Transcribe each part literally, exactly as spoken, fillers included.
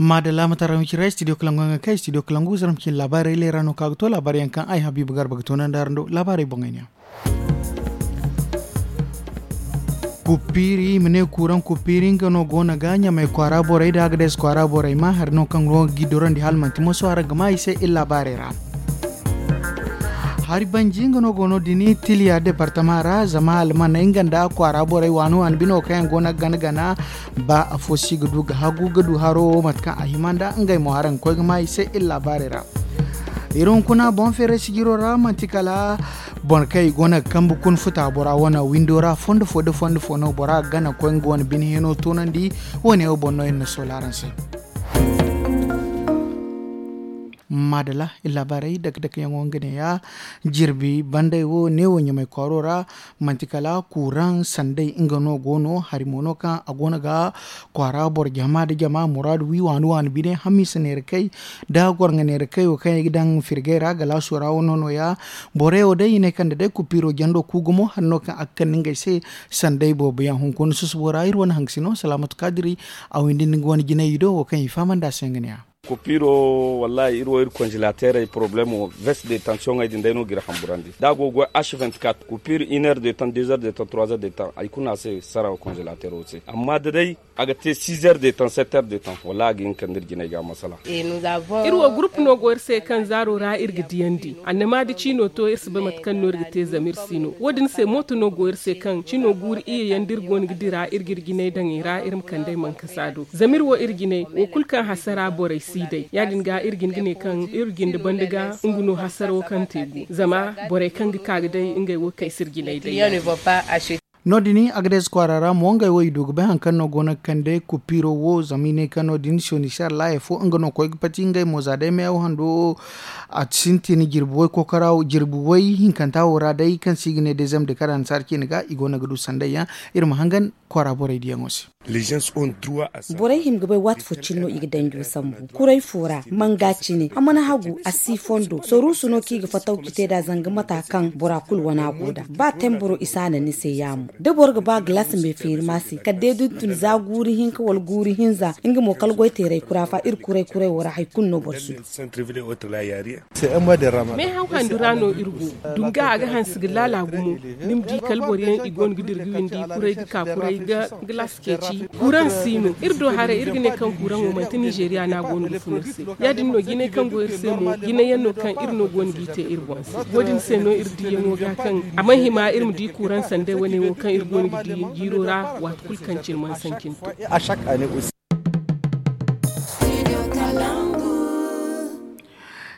Maadalla ma tara mi cira studio kalangu yaŋ ga kay studio kalangu zarma cine laabaarey leera no kaŋ a ga to laabaarey yaŋ kaŋ ay habiibu garba ga to naŋ da araŋ do laabaarey boŋey ne yaŋ. Kuppiiri i ma ne kuuraŋ kuppiiri nga no go no ga ɲamay kwaara borey nda agades kwaara borey ma hari no kaŋ go ga gi dorandi hala manti moso araŋ ga ma i se iri laabaarey ra. Hari banji nga no go no din tiliya departama ra zama almaney nga nda kwaara borey waani waani bino kaŋ yaŋ go no ga gana gana ba afo si ga du ga hagu ga du haro wo mate kaŋ a hima nda ngey mo araŋ ga koy ga ma i se iri laabaarey ra. Iri hunkuna boŋ feeray sijiro ra manti kala boro kaŋ i go no ga kambe kuna futa bora wane windo ra fondo fo nda fondo fo no bora ga gana ga koy nga wane bine hino toonandi. Wo- ne wo boŋ no iri na soola araŋ se. Maadala iri laabaarey dake dake yaŋo nga ne ya jirbi banday wo neewo ɲamay kwaaro ra. Manti kala kuuraŋ sanday nga no go no hari mo no kaŋ a go no ga kwaara boro jama nda jama muraadu wi waani waani bine hamiisa neera kay nda gorŋa neera kay wo kaŋ i ga daŋ firgay ra galaaso ra wo no no- ya. Borey wo day i ne kaŋ da day kupiiro jando ku gumo hari no kaŋ a ga kande ngey se. Sanday boobo yaŋ hunkuna susubo ra iri wane hangasino salaamatu kaadiri a windi nda nga wane jinay i do wo kaŋ i fahamandi a se nga ne ya. Kupiiro wallaahi iri wo iri konzelateerey porobalemo veste de tansiyoŋey din day no ga iri hamburandi da a go ga goy ash vingt-quatre kupiir une heure de temps deux heures de temps trois heures de temps hari kulu no a se sara konzelateero se amma da day a ga te six heures de temps sept heures de temps wallaahi a ga hin ka nda iri jinay ga masala. Iri wo gurupu no go iri se kaŋ zaaro ra iri ga diyandi annama da ciino to iri si bay mate kaŋ no iri ga te zama iri si no wo- din se mooto no go iri se kaŋ cino guuru iyye yaŋ da iri go no ga dira iri ga iri jinay daŋ i ra iri ma kande ay mankasa do zama iri wo iri jinay wo kulu kaŋ hasara borey si day ya- din ga iri ga hin ga ne kaŋ iri jinde banda ga nga no hasara wo kaŋ te gu zama borey kaŋ ga ka ga day ngey wo kay si iri jinay day. No- din agades kwaara ra mo ngey wo i du ga bay hari kaŋ no go no ga kande kupiiro wo zama i ne kaŋ no- din siyoni siyar laaya fo nga no ga koy ga pati ngey mo za day meewo hando a sintin jirbi way kookara jirbi way hinkanta wo ra day kaŋ se i ga ne day zama day kala annasaara ciine ga i go no ga du sanday yaŋ. Iri ma hangan kwaara borey diyaŋo se. Borey hima ga bay waati fo cine no i ga danjo sambu kuray fo ra manga cine a mana hagu a si fondo soruusu no kaŋ i ga fataw ga te nd'a zanga mata kaŋ bora kulu wana go nd'a ba temburo i si a naŋ ni se yaamo da boro ga ba galaasi me feeri ma se kala day da ni tun za guuru hinka wala guuru hinza nga mo kala goyteeray kura fa iri kuray kuray wo ra hari kulu no boro si du. Meehaw handu ra no iri go dunga a ga hanse ga laala gumo. Ni ma di kala boro yaŋ i go no ga dira ga windi kuray ga ka kuray ga galaasi ceeci. Kuuraŋ si no iri do haray iri ga ne kaŋ kuuraŋo manti nizeeriya no a go no ga fun iri se ya- din no jinay kaŋ go iri se mo jinay yaŋ no kaŋ iri no go no g'i te iri boŋ se wo- din se no iri diyaŋo ga kaŋ a mana hima iri ma di kuuraŋ sanday wane wo kaŋ iri go no ga di jiiro ra waati kulu kaŋ cine mana sancinto.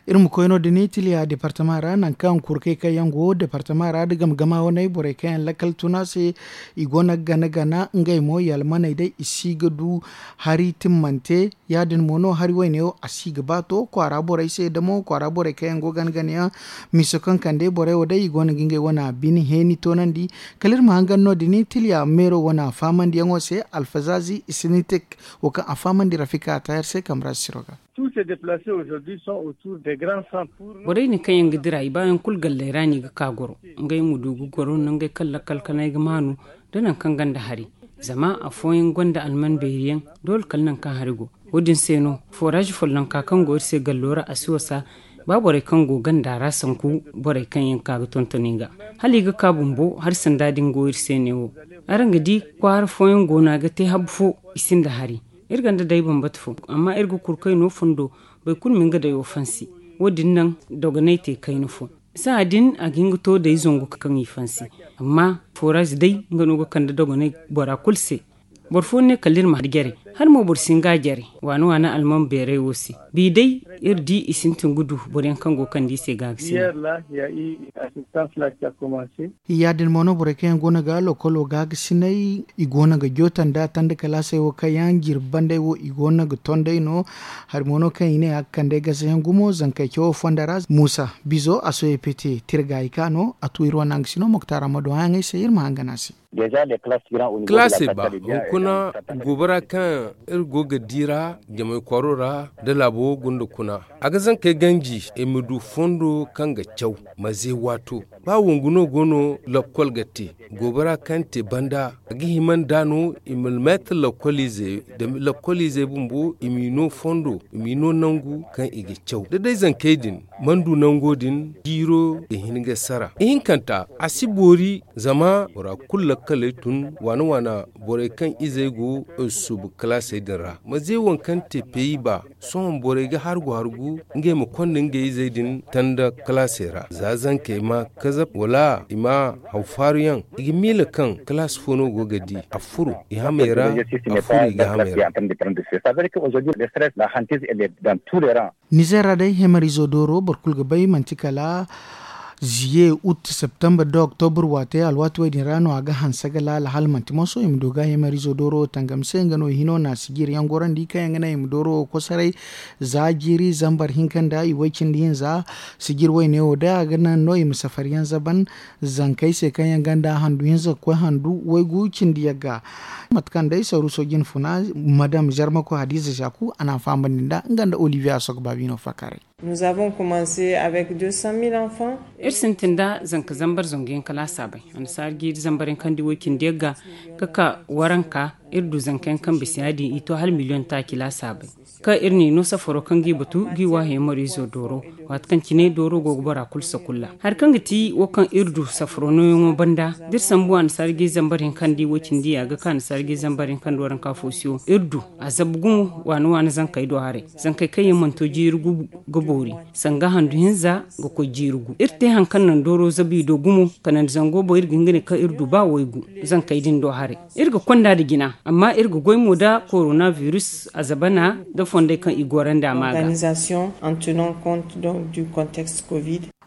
Iri ma koy no- din itiliya departama ra nangu kaŋ kurkey kaŋ yaŋ go departama ra nda game gama waney borey kaŋ yaŋ lakkal tun a se. I go no ga gana gana ngey mo i almaney day i si ga du hari timmante ya- din mo no hari wayne wo a si ga ba to kwaara borey se damo kwaara borey kaŋ yaŋ go gana gana yaŋ. Miso kaŋ kande borey wo day i go no ga ngey wane bine heeni toonandi. Kala iri ma hangan no- din itiliya meero wane faamandiyaŋo se alfazaazi isinitik wo kaŋ a fahamandi rafika tayar se kamra siro ga. Borey din kaŋ yaŋ ga dira i baayaŋ kulu galley ra no i ga ka goro. Ngey ma du ga goro nda ngey kaŋ lakkal kanay ga maanu nda nangu kaŋ gonda hari. Zama afooyaŋ gonda alman beeri yaŋ doole kala nangu kaŋ hari go. Wo- din se no foraazi follonka kaŋ go iri se gallo ra a si wasa. Ba borey kaŋ go ganda ra sanku borey kaŋ yaŋ ka ga tonton i ga hala i ga ka bumbo hari sanda din go iri se neewo. Araŋ ga di kwaara fooyaŋ go no a ga te habu fo i sinda hari. Iri gonda day bambata fo amma iri ga kurkay no fondo. Boro kulu ma nga dayo fansi. Wo- din naŋ dogonay te kayna fo. Saha din a ga hin ga to day zangu kaŋ i fansi. Amma foraazi day nga no ga kande dogonay bora kulu se. Boro fo ne kala iri ma jare. Hala mo boro si hin ga a jare waana waana alman beeray wo se. Bi day iri di i sintin ga du boro yaŋ kaŋ go ga kande i se ga a ga sina. Ya- din mo no borey kaŋ yaŋ go no ga lokolo ga ga sinay i go no ga jootan da tanda kalaasey wo kaŋ yaŋ jirbi banday wo i go no ga tonday no. Hari mo no kaŋ i ne a ga kande gasa yaŋ gumo zankey cawo fonda ra muusa bizo a soye pete tirga i ka no a tu iri wane hangasino moktaara ma doŋ a yaŋey se iri ma hangan a se. Kalaasey ba hunkuna guubo ra kaŋ Iri go ga di ra jamay kwaro ra da laabo gunda kuna. A ga zankey ganji i ma du fondo kaŋ ga caw. Maze waato ba wangu no go no lakkol ga te. Goobara kaŋ te banda a ga hima nd'a no i ma meetar lakkol izey bumbo i m'i no fondo i m'i no nangu kaŋ i ga caw da day zankey din. Mana du nango din jiiro ga hin ga sara ihinkanta a si boori. Zama bora kulu lakkaley tun waana waana borey kaŋ izey go suubu kalaasey din ra maze waŋ kaŋ te peyi ba sohõ borey ga hargu hargu ngey ma konda ngey izey din tanda kalaasey ra za zankey ma kazab wala i ma haw faaru yaŋ. I ga miila kaŋ kalaas fo no go ga di a furo i hamey ra. A furo i ga hamey ra. Nizer ra day hemarizo dooro boro kulu ga bay manti kala ziye ut septembre da octobre waate alwaati wo- din ra no a ga hanse ga laala hala manti moso i ma du ga hemarizo dooro tangam se nga no hino na sijiri yaŋ gorandi kaŋ yaŋ ga naŋ i ma dooro wo kosoray. Za jiiri zambar hinka nda i way cindi hinza sijiri wayne wo day a ga naŋ no i ma safari yaŋ zaban zankey se kaŋ yaŋ ganda handu hinza ga koy handu waygu cindi yagga. Mate kaŋ day saruuso jine funa madam zarmako hadiza zaku a na a fahamandi nd'a nga nda olivier a sogo baabino fakaray. Iri sintin nda zanka zambar zangu yaŋ kala a saabay annasaara jiiri zambar yaŋ kaŋ di woy cindi yagga ga ka waranka. Iri du zanka yaŋ kaŋ bisa ya- din i to hala miliyoŋ taaci la a saabay kaŋ iri n'i no safaro kaŋ g'i batu g'i waahey maro izo dooro. Waati kaŋ cine dooro go ga bora kulu sakulla hari kaŋ ga ti wo kaŋ iri du safaro nooyaŋo banda da iri sambu annasaara jiiri zambar yaŋ kaŋ di woy cindi a ga ka annasaara jiiri zambar yaŋ kaŋ di waranka fo se wo iri du a zabu gumo waana waana zankey do haray. Zankey kaŋ yaŋ mana to jiiri gu ga boori sanga handu hinza ga koy jiiri gu iri te hari kaŋ naŋ dooro zabu i do gumo kanandi zango boŋ iri ga hin ga ne kaŋ iri du ba waygu zankey din do haray. Iri ga konda nda jina amma iri ga goy mo nda korona virus a zabana nda fondey kaŋ i gorandi a ma ga.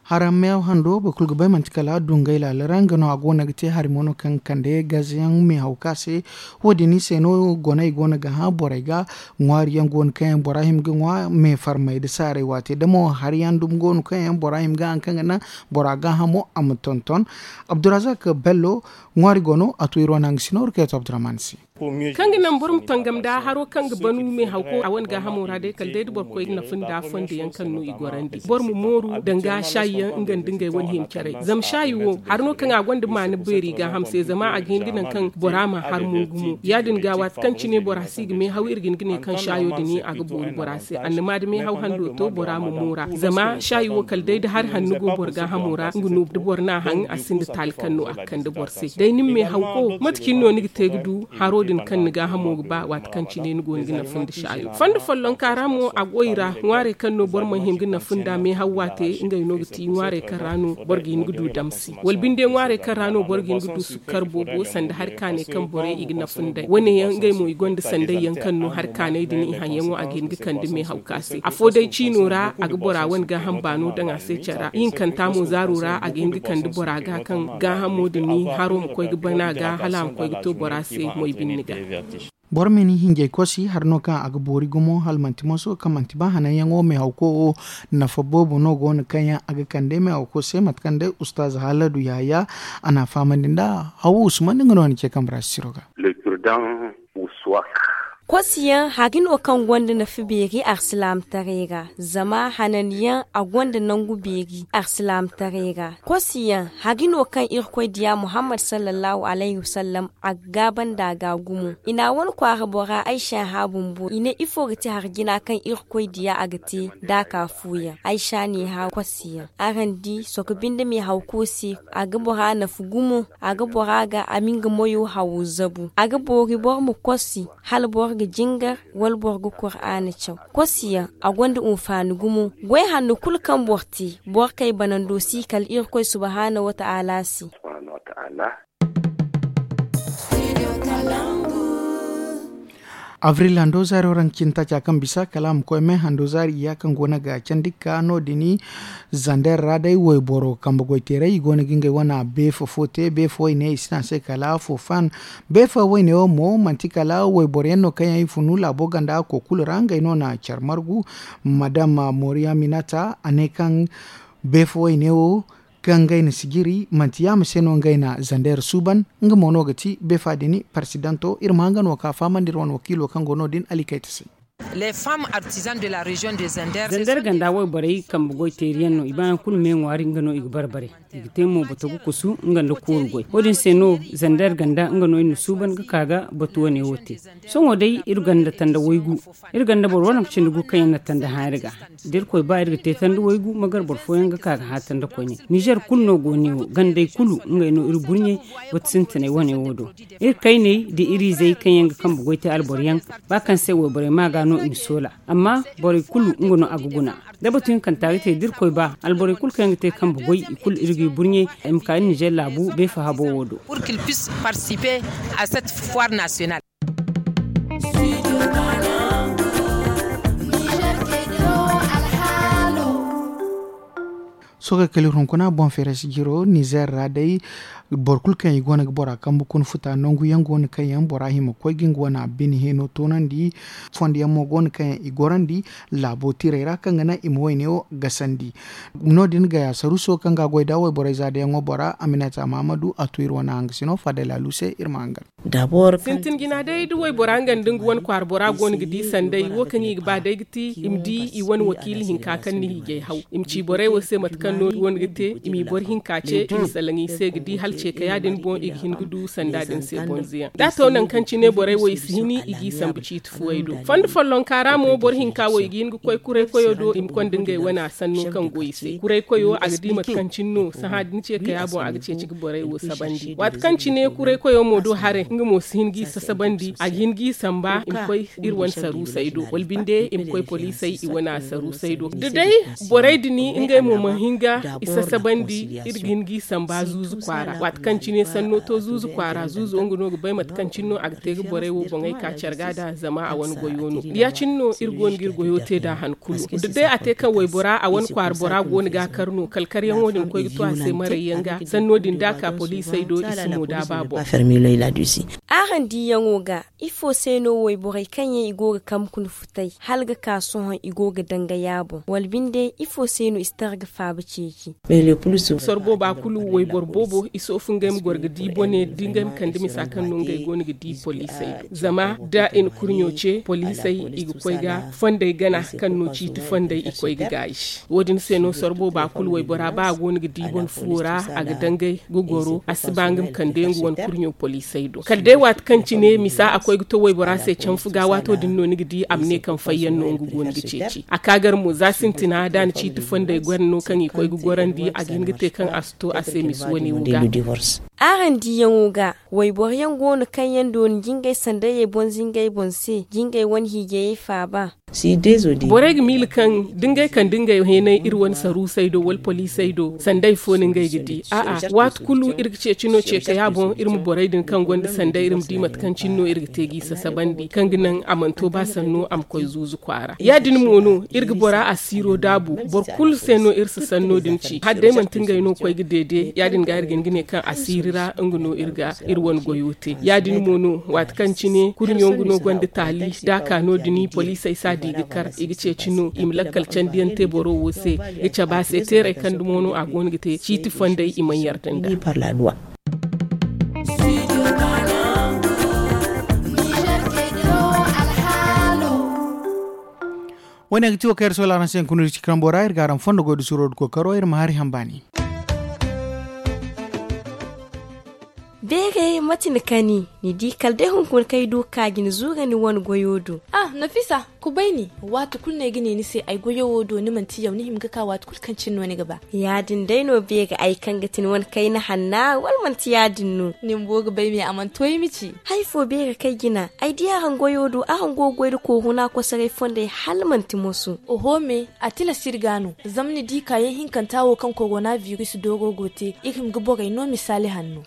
Haraŋ meew hando boro kulu ga bay manti kala dungay laala ra nga no a go no ga te hari mo no kaŋ ga kande gaze yaŋ meehaw ka se. Wo- din se no goney go no ga hã borey ga ŋwaari yaŋ go no kaŋ yaŋ bora hima ga ŋwa meefarmay nda saaray waate damo hari yaŋ dumi go no kaŋ yaŋ bora hima ga haŋ kaŋ ga naŋ bora gaahamo a ma tonton. Abdurazak bello ŋwaari go no a to iri wane haŋ ga si nooru kayto abdurahman se. Kaŋ ga naŋ boro ma tangam nda haro kaŋ ga banu meehawko a wane gaahamo ra day kala day da boro koy ga nafa nda fondo yaŋ kaŋ no i gorandi boro ma mooru danga saayi yaŋ nga nda ngey wane hima caray zama saayi wo hari no kaŋ a gonda maana beeri gaaham se zama a ga hin ga naŋ kaŋ bora ma har mo gumo ya- din ga waati kaŋ cine bora si ga meehaw iri ga hin ga ne kaŋ saayo din a ga boori bora se annama da meehaw hando to bora ma moora zama saayi wo kala day da hari hanno go boro gaahamo ra nga no da boro n'a haŋ a sinda taali kaŋ no a ga kande boro se day ni ma meehawko mate cine no ni ga te ga du haro din kaŋ ni gaahamo ga ba waati kaŋ cine ni go ni ga nafa nda saayo fondo follonka ra mo a goy ra ŋwaarey kaŋ no boro mana hin ga nafa nda meehaw waate ngey no ga ti ŋwaarey kaŋ ra no boro ga hin ga du damsi wala binde ŋwaarey kaŋ ra no boro ga hin ga du sukkar boobo sanda hari kaanay kaŋ borey i ga nafa nd'ey wane yaŋ ngey mo i gonda sanday yaŋ kaŋ no hari kaanay din i haŋ yaŋo a ga hin ga kande meehaw ka se afo day ciino ra a ga bora wane gaaham baano daŋ a se care ra ihinkanta mo zaaro ra a ga hin ga kande bora ga kaŋ gaahamo din haro ma koy ga bana ga hala a ma koy ga to bora se moy binni ga. Boro ma ni hinjay kosi hari no kaŋ a ga boori gumo hala manti moso kaŋ manti ba hananyaŋo meehawko wo nafa boobo no go no kaŋ yaŋ a ga kande meehawko se mate kaŋ day ustaz haladu yahaya a n'a fahamandi nda hawo usman nga no ni ce kambe ra sisiro ga. Kosi yaŋ hari no kaŋ gonda nafa beeri arsilaamataray ra zama hananyaŋ a gonda nangu beeri arsilaamataray ra. Kosi yaŋ hari no kaŋ irkoy diya muhammad sallallahu alayhi wasallam a ga gaaba nda a ga gumo i na a wane kwaara bora aysa hã bumbo i ne ifo ga ti hari jina kaŋ irkoy diya a ga te da a ka fu yaŋ aysa ne hã kosi yaŋ araŋ di sohõ binde meehawko se a ga bora nafa gumo a ga bora ga a ma nga moyo hawo zabu a ga boori boro ma kosi hala boro ga jingar wala boro ga kuraana caw. Kosi yaŋ a gonda hunfaani gumo goy hanno kulu kaŋ boro te boro kay banando si kala irkoy subhaanahu wataala se. Avril hando zaari waranka cine taaca kaŋ bisa kala a ma koy me hando zaari iyya kaŋ go no ga candi ga ka no- din zander ra day wayboro kambe goyteeray i go no ga ngey wane beefa fo te beefa wayne i si ne a se kala fofan. Beefa wayne wo mo manti kala wayboro yaŋ no kaŋ yaŋ i funu laabo ganda ko kulu ra ngey no na care margu. Madam moriya minata a ne kaŋ beefa wayne wo Kaŋ ngey na sijiri manti yaama se no ngey na zander suuban. Nga mo no ga ti beefa din parsidanto iri ma hanga no ka fahamandi iri wane wakiilo kaŋ go no- din alikayta se. Zander ganda wayborey kambe goy teeri yaŋ no i baayaŋ kulu me ŋwaari nga no i ga bare bare. I ga te mo bata ga kusu nga nda kooru goy wo- din se no zander ganda nga no iri na suuban ga ka ga batu wane wo te. Sohõ day iri ganda tanda waygu. Iri ganda boro waranka cindi gu kaŋ yaŋ na tanda hã iri ga. Da irkoy ba iri ga te tanda waygu magar boro fooyaŋ ga ka ga hã tanda koyne nizer kulu no go ne wo gandey kulu ngey no iri burɲey. Batu sintinay wane wo do iri kayney da iri izey kaŋ yaŋ ga kambe goy te alboro yaŋ. Ba kaŋ se wayborey ma ga no i ma soola. Amma borey kulu nga no a ga guna. Da batu hinkanta ga te da irkoy ba alborey kulu kaŋ yaŋ ga te kambe goy i kulu iri ga i burɲey. I ma ka iri nizer laabu beefa habo wo do. Sohõ kay kala iri hunkuna boŋ feeray si jiro nizer ra day. Boro kulu kaŋ i go no ga bora kambe kuna futa nangu yaŋ go no kaŋ yaŋ bora hima koy ga nga wane bine heeno toonandi. Fondo yaŋ mo go no kaŋ yaŋ i gorandi laabo tiray ra kaŋ ga naŋ i ma wayne wo gasandi. No- din gaya saruuso kaŋ ga a goy da wayborey za da yaŋo bora aminata mahamadu a to iri wane hangasino fadda laalu se iri ma hangan. Sintin jina day da waybora nga nda nga wane kwaara bora go no ga di sanday wo kaŋ i ga ba day ga ti i ma di i wane wakiila hinka kaŋ na hiijay haw. I ma ci borey wo se mate kaŋ no i go no ga te i m'i boro hinka ce i ma salaŋ i se ga di hala ce ka ya- din boŋ i ga hin ga du sanda din se bonzo yaŋ da a to nangu kaŋ cine borey wo i si hini i g'i sambu ciiti fuwey do fondo follonka ra mo boro hinka wo i ga hin ga koy kuray koyo do i ma konda ngey wane a sanno kaŋ go i se kuray koyo a ga di mate kaŋ cine no sahã da ni ce ka ya boŋ a ga ceeci ga borey wo sabandi waati kaŋ cine kuray koyo mo do haray nga mo si hin g'i sasabandi a ga hin g'i samba i ma koy iri wane saruusey do wala binde i ma koy poliisey i wane a saruusey do da day borey din ngey mo mana hin ga i sasabandi iri ga hin g'i samba zuuzu kwaara waati kaŋ cine sanno to zuuzu kwaara zuuzo nga no ga bay mate kaŋ cine no a ga te ga borey wo boŋey ka care ga da zama a wane goyo no ya- cine no iri go no ga iri goyo te nd'a han kulu da day a te kaŋ waybora a wane kwaara bora go no ga a kar no kala karyaŋo din koy ga to a se marayyaŋ ga sanno din da a ka poliisey do i si mo da a ba boŋ. Araŋ diyaŋo ga ifo se no wayborey kaŋ yaŋ i go ga kambe kuna futay hala ga ka sohõ i go ga dangay a boŋ wala binde ifo se no i si tara ga faaba ceeci? Sorbo ba kulu wayboro boobo i soofu ngey ma goro ga di bone da ngey ma kande misa kaŋ no ngey go no ga di poliisey do zama da i na kurɲo ce poliisey i ga koy ga fondey gana kaŋ no ciiti fondey i koy ga gaayi. Wo- din se no sorbo ba kulu waybora ba a go no ga di bone fuwo ra a ga dangay ga goro a si ba nga ma kande nga wane kurɲo poliisey do kala day waati kaŋ cine misa a koy ga to waybora se canfu ga waato din no ni ga di a ma ne kaŋ fayyaŋ no nga go no ga ceeci a ka gar mo za sintina da a na ciiti fondey goro no kaŋ i koy ga gorandi a ga hin ga te kaŋ a si to a se misa wane wo ga. Araŋ diyaŋo ga wayboro yaŋ go no kaŋ yaŋ dooni jingay sandayey boŋ zingay boŋ se jingay wane hiijayey faaba. Borey ga miila kaŋ da ngey kande ngey heenay iri wane saruusey do wala poliisey do sanday fo no ngey ga di a'a waati kulu iri ga ceeci no ce kay a boŋ iri ma borey din kaŋ gonda sanday iri ma di mate kaŋ cine no iri ga te g'i sasabandi kaŋ ga naŋ a mana to ba sanno a ma koy zuuzu kwaara ya- din mo no iri ga bora asiiro daabu boro kulu se no iri si sanno din ci hala day manti ngey no koy ga deede ya- din ga iri ga hin ga ne kaŋ asiiri ra nga no iri ga iri wane goyo te ya- din mo no waati kaŋ cine kurɲo nga no gonda taali da a ka no- din poliisey si a di ga kar i ga ceeci no i ma lakkal candiyaŋ te boro wo se ga cabe a se teeray kaŋ dumo no a go no ga te ciiti fondey i mana yarda nd'a. Wo- ne ga ti wo kaŋ iri soola araŋ se hunkuna iri ci karambo ra iri ga araŋ fondo goy da suro da kookaro iri ma hari hambaani. Beeray mate ni kani ni di kala day hunkuna kaŋ ay du ga ka ga ni zuura ni wane goyo do. Ah, nafisa, kubay ni. Waati kulu no ay ga ne ni se ay goyo wo do ni manti yaw ni hima ga ka waati kulu kaŋ cine no ni ga ba. Ya- din day no beeray ay kaŋ ga ti ni wane kayna hanna wala manti ya- din no? Ni bumbo ga bay me a mana to ay ma ci. Hari fo beeray kaŋ ay jina ay di araŋ goyo do araŋ go ga goy nda kooruna kosoray fondey hala manti moso. Oho me, a tilas iri ga no. Zama ni di kaayaŋ hinkanta wo kaŋ korona biris dooro go te iri hima ga borey no misaali hanno.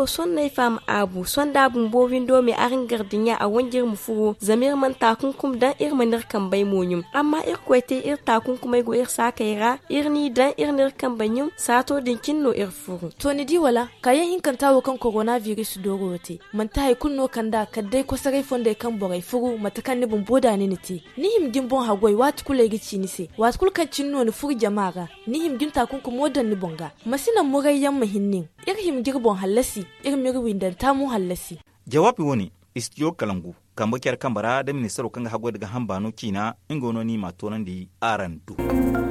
Sonney faama aabu sonda bumbo windo me araŋ gardiɲa a wanjir ma furo zama iri mana taakunkum daŋ iri mana iri kambey mo ɲum. Amma irkoy te iri taakunkumey go iri saakey ra iri n'i daŋ iri n'iri kambey ɲum saato din cine no iri furu. To ni di wala kaayaŋ hinkanta wo kaŋ korona biris dooro wo te manti hari kulu no kand'a kala day kosoray fondey kaŋ borey furu mate kaŋ ni bumbo da ni na te. Ni hima ga ni boŋ haggoy waati kulu ay ga ci ni se waati kulu kaŋ cine no ni furu jama ra. Ni hima ga ni taakunkumo daŋ ni boŋ ga. Ma si naŋ murayyaŋ ma hin nin. Iri hima ga iri boŋ hallasi. Iri m'iri windanta mo hallasi. Jawaabi wo- ne, istijo kalangu kambe care kambe ra da ministaro kaŋ ga haggoy nda gaaham baano ciina nga no no i m'a toonandi araŋ do.